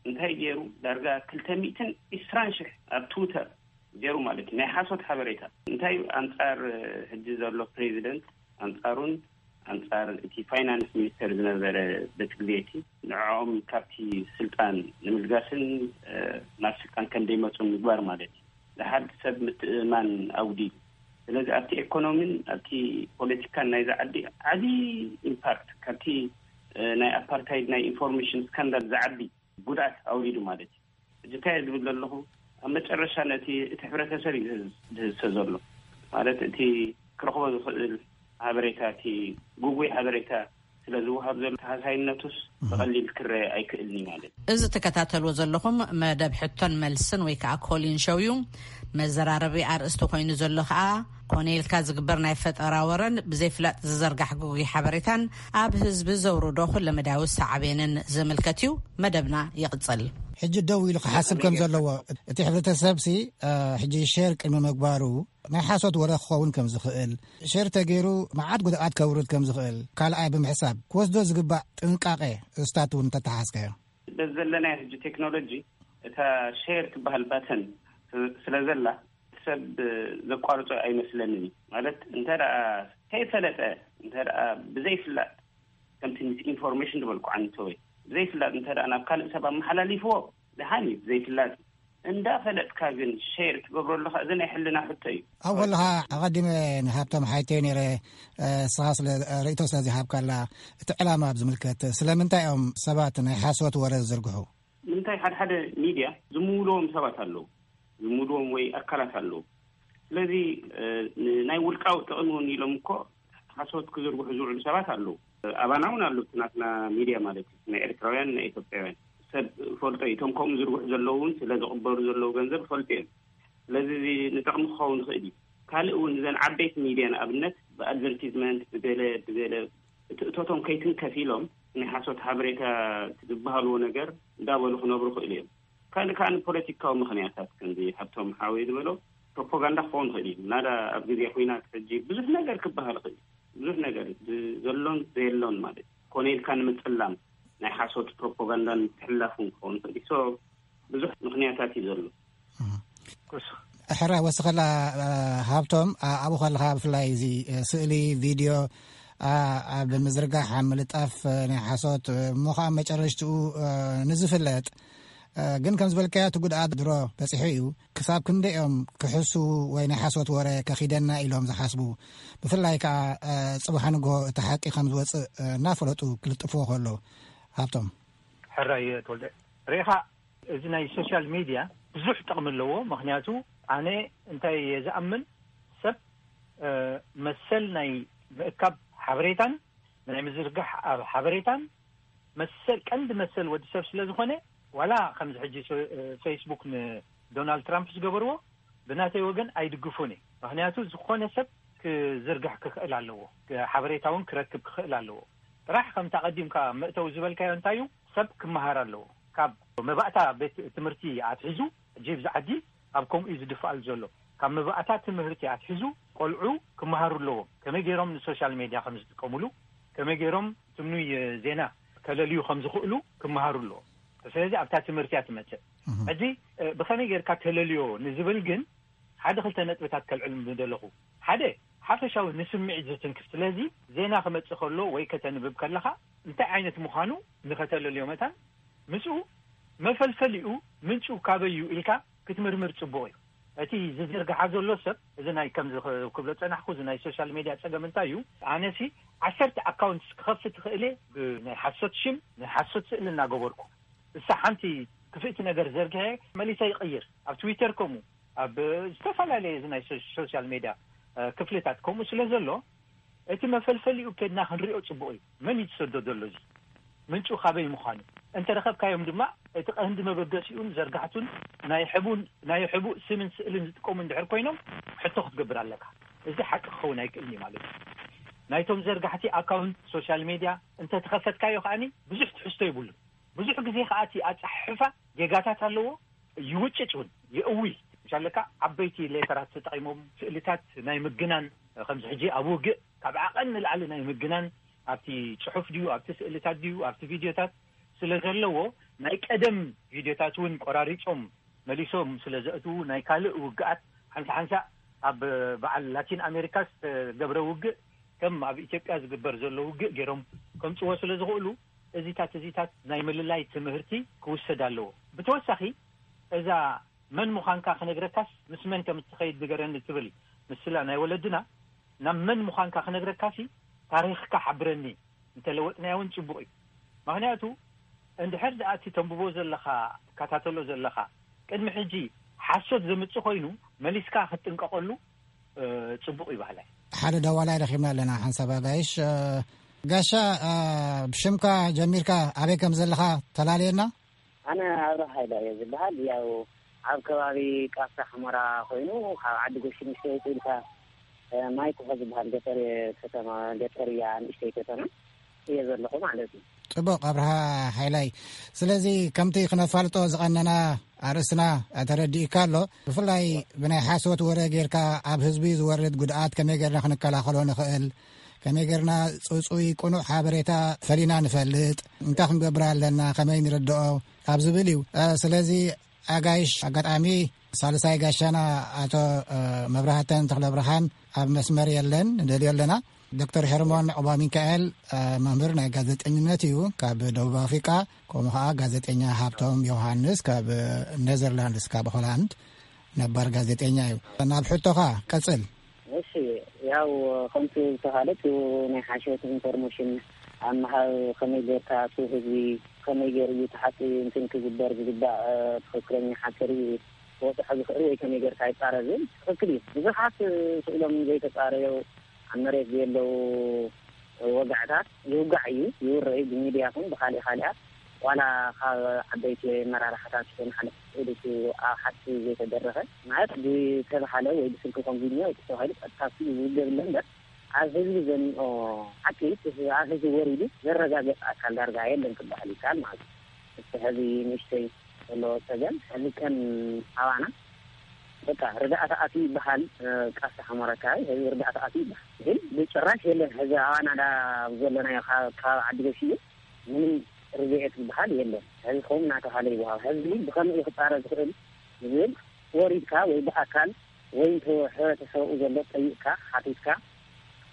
እንታይ ገይሩ ዳርጋ ክልተ ሚእትን ዕስራን ሽሕ ኣብ ትዊተር ገይሩ ማለት እዩ ናይ ሓሶት ሓበሬታ። እንታይ ኣንፃር ሕጂ ዘሎ ፕሬዚደንት ኣንፃሩን ኣንፃር እቲ ፋይናንስ ሚኒስተር ዝነበረ በቲ ግዜ እቲ ንዕኦም ካብቲ ስልጣን ንምልጋስን ናብ ስልጣን ከም ደይመፁ ምግባር ማለት እዩ። ዝሓድ ሰብ ምትእምማን ኣጉዲሉ። ስለዚ ኣብቲ ኤኮኖሚን ኣብቲ ፖለቲካን ናይዚ ዓዲ ዓብዪ ኢምፓክት ካብቲ ናይ ኣፓርታይድ ናይ ኢንፎርሜሽን ስካንዳል ዝዓቢ ጉድኣት ኣውሪዱ ማለት እዩ። ሕጂ እንታይ ዝብል ዘለኹ ኣብ መጨረሻ ነቲ እቲ ሕብረተሰብ እዩ ዝህዝቶ ዘሎ ማለት እቲ ክረኽቦ ዝኽእል ሓበሬታ እቲ ጉጉይ ሓበሬታ ስለ ዝወሃብ ዘሎ ተሃሳይነቱስ ብቐሊል ክረአ ኣይክእልን እዩ ማለት እዩ። እዚ ትከታተልዎ ዘለኹም መደብ ሕቶን መልስን ወይ ከዓ ኮሊን ሾው እዩ። መዘራረቢ ኣርእስቲ ኮይኑ ዘሎ ከዓ ኮነ ኢልካ ዝግበር ናይ ፈጠራ ወረን ብዘይፍላጥ ዝዘርጋሕ ግጉይ ሓበሬታን ኣብ ህዝቢ ዘውርዶ ኩለመዳያዊ ሳዕቤንን ዝምልከት እዩ። መደብና ይቕጽል። ሕጂ ደው ኢሉ ክሓስብ ከም ዘለዎ፣ እቲ ሕብረተሰብሲ ሕጂ ሼር ቅድሚ ምግባሩ ናይ ሓሶት ወረ ክኸውን ከም ዝኽእል፣ ሸር ተገይሩ መዓት ጉድኣት ከውርድ ከም ዝኽእል ካልኣይ ብምሕሳብ ክወስዶ ዝግባእ ጥንቃቄ እስታት እውን እንተተሓዝካዮ? በዚ ዘለናዮ ሕጂ ቴክኖሎጂ እታ ሼር ትበሃል ባተን ስለ ዘላ ሰብ ዘቋርጾ ኣይመስለንን እዩ። ማለት እንተ ደኣ ከይፈለጠ፣ እንተ ደኣ ብዘይፍላጥ፣ ከምቲ ምስ ኢንፎርሜሽን ዝበልኩ ዓንተወይ ብዘይፍላጥ እንተ ደኣ ናብ ካልእ ሰብ ኣመሓላሊፍዎ ደሓን እዩ፣ ብዘይፍላጥ። እንዳ ፈለጥካ ግን ሼር ትገብሮ ኣለኻ፣ እዚ ናይ ሕልና ሕቶ እዩ። ኣብ ከለኻ ኣቐዲመ ንሃብቶም ሓይተዮ ነይረ፣ እስኻ ስለ ርእይቶ ስለ ዝሃብካላ፣ እቲ ዕላማ ኣብ ዝምልከት ስለምንታይ እዮም ሰባት ናይ ሓሶት ወረ ዝዝርግሑ? ንምንታይ ሓደ ሓደ ሚድያ ዝምውልዎም ሰባት ኣለዉ፣ ዝምውልዎም ወይ ኣካላት ኣለዉ። ስለዚ ናይ ውልቃዊ ጥቕሚ እውን ኢሎም እኮ ሓሶት ክዝርግሑ ዝውዕሉ ሰባት ኣለዉ። ኣባና እውን ኣለዉ፣ እቲ ናትና ሚድያ ማለት እዩ፣ ናይ ኤርትራውያን ናይ ኢትዮጵያውያን ሰብ ፈልጦ እዩ። እቶም ከምኡ ዝርግሑ ዘለዉ እውን ስለ ዝቕበሉ ዘለዉ ገንዘብ ፈልጡ እዮም። ስለዚ እዚ ንጥቕሚ ክኸውን ይኽእል እዩ። ካልእ እውን እዘን ዓበይቲ ሚድያ ንኣብነት ብኣድቨርቲዝመንት ብገለ ብገለ እቲ እቶቶም ከይትንከፍ ኢሎም ናይ ሓሶት ሓበሬታ ዝበሃልዎ ነገር እንዳበሉ ክነብሩ ይኽእሉ እዮም። ካልእ ከዓ ንፖለቲካዊ ምኽንያታት ከምዚ ሃብቶም ሓወይ ዝበሎ ፕሮፓጋንዳ ክኸውን ይኽእል እዩ። ናዳ ኣብ ግዜ ኩናት ሕጂ ብዙሕ ነገር ክበሃል ይኽእል እዩ። ብዙሕ ነገር ዘሎን ዘየሎን ማለት ኮነ ኢልካ ንምጽላም ናይ ሓሶት ፕሮፓጋንዳን ምትሕልላፍን ክኸውን ይኽእል እዩ። ብዙሕ ምኽንያታት እዩ ዘሎ። ሕራይ ወስኸላ። ሃብቶም ኣብኡ ከለኻ ብፍላይ እዚ ስእሊ ቪድዮ ኣብ ምዝርጋሕ ኣብ ምልጣፍ ናይ ሓሶት እሞ ከዓ መጨረሽትኡ ንዝፍለጥ ግን ከም ዝበልካዮ እቲ ጉድኣት ድሮ በፂሑ እዩ። ክሳብ ክንደኦም ክሕሱ ወይ ናይ ሓሶት ወረ ከኺደና ኢሎም ዝሓስቡ፣ ብፍላይ ከዓ ፅቡሓ ንግሆ እቲ ሓቂ ከም ዝወፅእ እናፈለጡ ክልጥፍዎ ከሎ? ሃብቶም። ሕራይ ተወልደ፣ ርኢኻ እዚ ናይ ሶሻል ሚድያ ብዙሕ ጥቕሚ ኣለዎ። ምኽንያቱ ኣነ እንታይ እየ ዝኣምን፣ ሰብ መሰል ናይ ምእካብ ሓበሬታን ናይ ምዝርጋሕ ኣብ ሓበሬታን መሰል፣ ቀንዲ መሰል ወዲ ሰብ ስለ ዝኾነ፣ ዋላ ከምዚ ሕጂ ፌስቡክ ንዶናልድ ትራምፕ ዝገበርዎ ብናተይ ወገን ኣይድግፉን እየ። ምኽንያቱ ዝኾነ ሰብ ክዝርጋሕ ክኽእል ኣለዎ፣ ሓበሬታ እውን ክረክብ ክኽእል ኣለዎ። ጥራሕ ከምታ ቀዲምካ መእተዊ ዝበልካዮ እንታይ እዩ፣ ሰብ ክመሃር ኣለዎ። ካብ መባእታ ቤት ትምህርቲ ኣትሒዙ፣ ሕጂ ብዚ ዓዲ ኣብ ከምኡ እዩ ዝድፍኣሉ ዘሎ። ካብ መባእታ ትምህርቲ ኣትሒዙ ቆልዑ ክመሃሩ ኣለዎም። ከመይ ገይሮም ንሶሻል ሜድያ ከም ዝጥቀሙሉ፣ ከመይ ገይሮም ትምኑይ ዜና ከለልዩ ከም ዝኽእሉ ክመሃሩ ኣለዎም። ስለዚ ኣብታ ትምህርቲ እያ ትመጽእ። ሕጂ ብኸመይ ጌርካ ተለልዮ ንዝብል ግን ሓደ ክልተ ነጥብታት ከልዕል ምደለኹ። ሓደ ሓፈሻዊ ንስምዒት ዝትንክፍ። ስለዚ ዜና ክመጽእ ከሎ ወይ ከተንብብ ከለኻ እንታይ ዓይነት ምዃኑ ንኸተለልዮ መታን ምስኡ መፈልፈሊኡ ምንጩ ካበይ እዩ ኢልካ ክትምርምር ጽቡቕ እዩ። እቲ ዝዝርግሓ ዘሎ ሰብ፣ እዚ ናይ ከምዚ ክብሎ ጸናሕኩ፣ እዚ ናይ ሶሻል ሜድያ ጸገም እንታይ እዩ? ኣነሲ ዓሰርተ ኣካውንትስ ክኸፍት ትኽእል እየ፣ ብናይ ሓሶት ሽም ናይ ሓሶት ስእሊ እናገበርኩ። እሳ ሓንቲ ክፍእቲ ነገር ዘርግሐ መሊሰ ይቕይር። ኣብ ትዊተር ከምኡ፣ ኣብ ዝተፈላለየ እዚ ናይ ሶ-፣ ሶሻል ሜድያ ክፍልታት ከምኡ ስለ ዘሎ፣ እቲ መፈልፈሊኡ ከድና ክንሪኦ ጽቡቕ እዩ። መን እዩ ዝሰዶ ዘሎ እዚ? ምንጩ ካበይ ምዃኑ እንተረኸብካዮም ድማ፣ እቲ ቀንዲ መበገሲኡን ዘርጋሕቱን ናይ ሕቡን፣ ናይ ሕቡእ ስምን ስእልን ዝጥቀሙ እንድሕር ኮይኖም፣ ሕቶ ክትገብር ኣለካ። እዚ ሓቂ ክኸውን ኣይክእልን እዩ ማለት እዩ። ናይቶም ዘርጋሕቲ ኣካውንት ሶሻል ሜድያ እንተተኸፈትካዮ ከኣኒ ብዙሕ ትሕዝቶ የብሉን። ብዙሕ ግዜ ከኣ እቲ ኣጻሕሕፋ ጌጋታት ኣለዎ፣ ይውጭጭ እውን፣ የእዊ። ምሻለካ ዓበይቲ ሌተራት ተጠቒሞም፣ ስእልታት ናይ ምግናን፣ ከምዚ ሕጂ ኣብ ውግእ ካብ ዓቐን ንላዕሊ ናይ ምግናን ኣብቲ ጽሑፍ ድዩ፣ ኣብቲ ስእልታት ድዩ፣ ኣብቲ ቪድዮታት ስለ ዘለዎ፣ ናይ ቀደም ቪድዮታት እውን ቆራሪጾም መሊሶም ስለ ዘእትዉ፣ ናይ ካልእ ውግኣት ሓንሳ ሓንሳ ኣብ በዓል ላቲን ኣሜሪካ ዝተገብረ ውግእ ከም ኣብ ኢትዮጵያ ዝግበር ዘሎ ውግእ ገይሮም ከምጽዎ ስለ ዝኽእሉ፣ እዚታት፣ እዚታት ናይ ምልላይ ትምህርቲ ክውሰድ ኣለዎ። ብተወሳኺ፣ እዛ መን ምዃንካ ክነግረካስ ምስ መን ከም እትኸይድ ንገረኒ ትብል ምስላ ናይ ወለድና፣ ናብ መን ምዃንካ ክነግረካሲ ታሪኽካ ሓብረኒ እንተለወጥናዮ እውን ጽቡቕ እዩ። ምኽንያቱ፣ እንድሕር ደኣ እቲ ተንብቦ ዘለኻ፣ ትከታተሎ ዘለኻ፣ ቅድሚ ሕጂ ሓሶት ዘምጽእ ኮይኑ፣ መሊስካ ክትጥንቀቐሉ፣ እ፣ ጽቡቕ እዩ በሃላይ። ሓደ ደዋላይ ረኺብና ኣለና፣ ሓንሳብ ኣጋይሽ። እ፣ ጋሻ፣ አ፣ ብሽምካ ጀሚርካ ኣበይ ከም ዘለኻ ተላለየና? ኣነ ኣብርሃ ሃይለ እየ ዝበሃል። ያው ኣብ ከባቢ ቃፍታ ሑመራ ኮይኑ፣ ካብ ዓዲ ጎሽ ንእሽተይ ውፅእ ኢልካ፣ እ፣ ማይ ኩሖ ዝበሃል ገጠር ከተማ፣ ገጠር እያ፣ ንእሽተይ ከተማ እየ ዘለኹ ማለት እዩ። ጽቡቕ ኣብርሃ ሓይላይ። ስለዚ ከምቲ ክነፋልጦ ዝቐነና ኣርእስትና ተረዲእካ ኣሎ። ብፍላይ ብናይ ሓሶት ወረ ጌርካ ኣብ ህዝቢ ዝወርድ ጉድኣት ከመይ ጌርና ክንከላኸሎ ንኽእል፣ ከመይ ጌርና ጽጹይ ቅኑዕ ሓበሬታ ፈሊና ንፈልጥ፣ እንታይ ክንገብር ኣለና፣ ከመይ ንርድኦ ኣብ ዝብል እዩ። እ፣ ስለዚ ኣጋይሽ ኣጋጣሚ ሳልሳይ ጋሻና ኣቶ፣ እ፣ መብራህተን ተኽለ ብርሃን ኣብ መስመር የለን፣ ንደልዮ ኣለና። ዶክተር ሄርሞን ዑባ ሚካኤል፣ እ፣ መምህር ናይ ጋዜጠኝነት እዩ ካብ ደቡብ ኣፍሪቃ፣ ከምኡ ኸዓ ጋዜጠኛ ሃብቶም ዮሃንስ ካብ ኔዘርላንድስ፣ ካብ ሆላንድ፣ ነባር ጋዜጠኛ እዩ። ናብ ሕቶኻ ቀጽል። እሺ፣ ያው ከምቲ ዝተባህለ፣ እቲ ናይ ሓሸወት ኢንፎርሜሽን ኣብ ምሃብ ከመይ ጌርካ እቲ ህዝቢ ከመይ ገይሩ እዩ እቲ ሓቂ እንትን ክግበር ዝግባእ፣ እ፣ ትኽክለኛ ሓቂ ርኢ ክወፅሖ ዝኽእል ወይ ከመይ ጌርካ ይፃረ ዝብል ትኽክል እዩ። ብዙሓት፣ እ፣ ስእሎም ዘይተፃረዩ ኣብ መሬት ዘየለዉ ወጋዕታት ይውጋዕ እዩ፣ ይውረ እዩ። ብሚድያ ኹን ብኻሊእ ኻሊኣት ዋላ ካብ ዓበይቲ መራርሓታት ይኹን ሓለፍቲ ስእሊ እቲ ኣብ ሓቂ ዘይተደረኸ ማለት ብተባሃለ ወይ ብስልኪ ኮንቪኒዮ ተባሂሉ ቀጥታ ስእሊ ዝውገብ ኣሎ እምበር ኣብ ህዝቢ ዘምኦ ሓቂ እቲ ኣብ ህዝቢ ወሪዱ ዘረጋገጽ ኣካል ዳርጋ የለን ክበሃል ይከኣል ማለት እዩ። እቲ ሕዚ ንእሽተይ ዘሎ ጸገም ሕዚ ከም ኣባና በቃ ርዳእታ ኣትዩ ይበሃል፣ እ፣ ቃፍታ ሑመራ ኣካባቢ ሕዚ ርዳእታ ኣትዩ ይበሃል። ግን ብጭራሽ የለን። ሕዚ ኣባና ዳ ዘለናዮ ካብ፣ ካብ ዓዲ ገሽ እዩ ምንም ርድኤት ዝበሃል የለን። ሕዚ ከምኡ እናተባሃለ ይወሃብ። ሕዚ ብኸመይ እዩ ክፃረ ዝኽእል ዝብል ወሪድካ ወይ ብኣካል ወይ እንተ ሕብረተሰቡ ዘሎ ጠይቕካ ሓቲትካ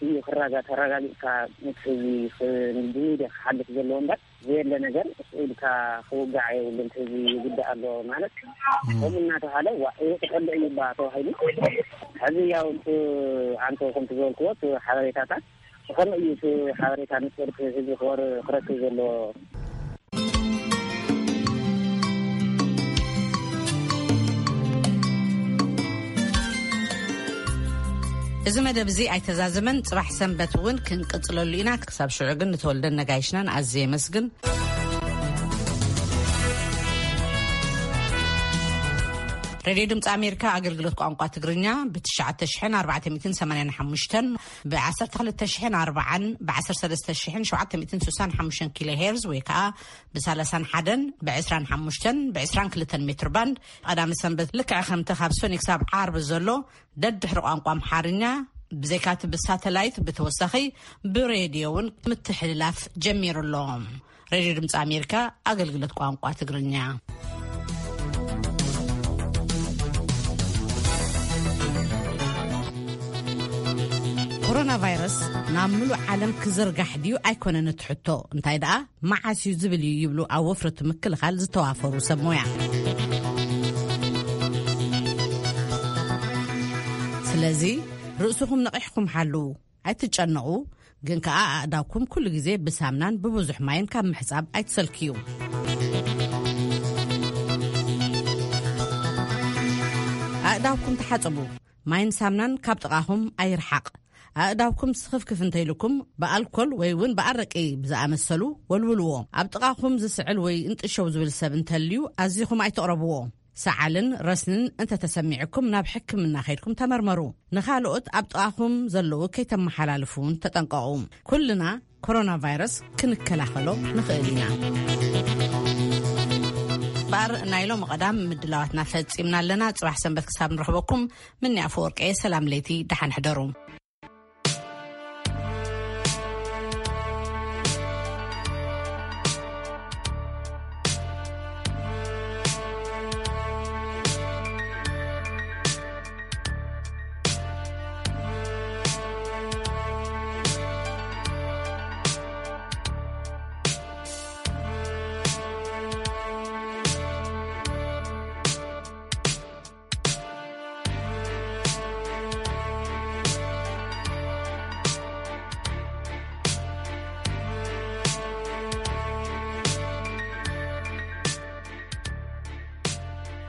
እዩ ክራጋ-፣ ተረጋጊፅካ ነቲ ህዝቢ ኽ-፣ ብሚድያ ክሓልፍ ዘለዎ እምበር ዘየለ ነገር ስኢልካ ክውጋዕ የብሉን። እቲ ህዝቢ ይጉዳእ ኣሎ ማለት እም። ከምኡ እናተባሃለ ዋ፣ ይወቅጠለ እዩ ባ ተባሂሉ። ሕዚ ያው እቲ ኣንተ ከምቲ ዝበልክዎ እቲ ሓበሬታታት ብኸመይ እዩ እቲ ሓበሬታ ንፅር ህዝቢ ክወር-፣ ክረክብ ዘለዎ? እዚ መደብ እዚ ኣይተዛዘመን። ጽባሕ ሰንበት እውን ክንቅጽለሉ ኢና። ክሳብ ሽዑ ግን ንተወልደን ነጋይሽናን ኣዝየ የመስግን። ሬድዮ ድምፂ ኣሜሪካ ኣገልግሎት ቋንቋ ትግርኛ ብ ትሽዓተ ሽሕን ኣርባዕተ ሚእትን ሰማንያን ሓሙሽተን፣ ብ ዓሰርተ ክልተ ሽሕን ኣርባዓን፣ ብ ዓሰርተ ሰለስተ ሽሕን ሸውዓተ ሚእትን ስሳን ሓሙሽተን ኪሎ ሄርዝ ወይ ከዓ ብ ሰላሳን ሓደን፣ ብ ዕስራን ሓሙሽተን፣ ብ ዕስራን ክልተን ሜትር ባንድ ቀዳሚ ሰንበት ልክዕ ከምቲ ካብ ሰኑይ ክሳብ ዓርቢ ዘሎ ደድሕሪ ቋንቋ ኣምሓርኛ ብዘይካቲ ብሳተላይት ብተወሳኺ ብሬድዮ እውን ምትሕልላፍ ጀሚሩ ኣሎ። ሬድዮ ድምፂ ኣሜሪካ ኣገልግሎት ቋንቋ ትግርኛ። ኮሮና ቫይረስ ናብ ምሉእ ዓለም ክዝርጋሕ ድዩ ኣይኮነን እቲ ሕቶ፣ እንታይ ደኣ መዓስ እዩ ዝብል እዩ ይብሉ ኣብ ወፍሪ እቲ ምክልኻል ዝተዋፈሩ ሰብ ሞያ። ስለዚ ርእስኹም ነቒሕኩም ሓልዉ። ኣይትጨነቑ፣ ግን ከኣ ኣእዳውኩም ኩሉ ግዜ ብሳምናን ብብዙሕ ማይን ካብ ምሕጻብ ኣይትሰልክዩ። ኣእዳውኩም ተሓጸቡ። ማይን ሳምናን ካብ ጥቓኹም ኣይርሓቕ። ኣእዳውኩም ስኽፍክፍ እንተኢልኩም ብኣልኮል ወይ እውን ብኣረቂ ብዝኣመሰሉ ወልውልዎ። ኣብ ጥቓኹም ዝስዕል ወይ እንጥሸው ዝብል ሰብ እንተልዩ ኣዚኹም ኣይትቕረብዎ። ሰዓልን ረስንን እንተተሰሚዕኩም ናብ ሕክምና ከይድኩም ተመርመሩ። ንኻልኦት ኣብ ጥቓኹም ዘለዉ ከይተመሓላልፉ እውን ተጠንቀቑ። ኩልና ኮሮና ቫይረስ ክንከላኸሎ ንኽእል ኢና። ባር ናይ ሎሚ ቀዳም ምድላዋትና ፈጺምና ኣለና። ጽባሕ ሰንበት ክሳብ ንረኽበኩም ምኒ ኣፈወርቀየ ሰላም ለይቲ፣ ደሓን ሕደሩ።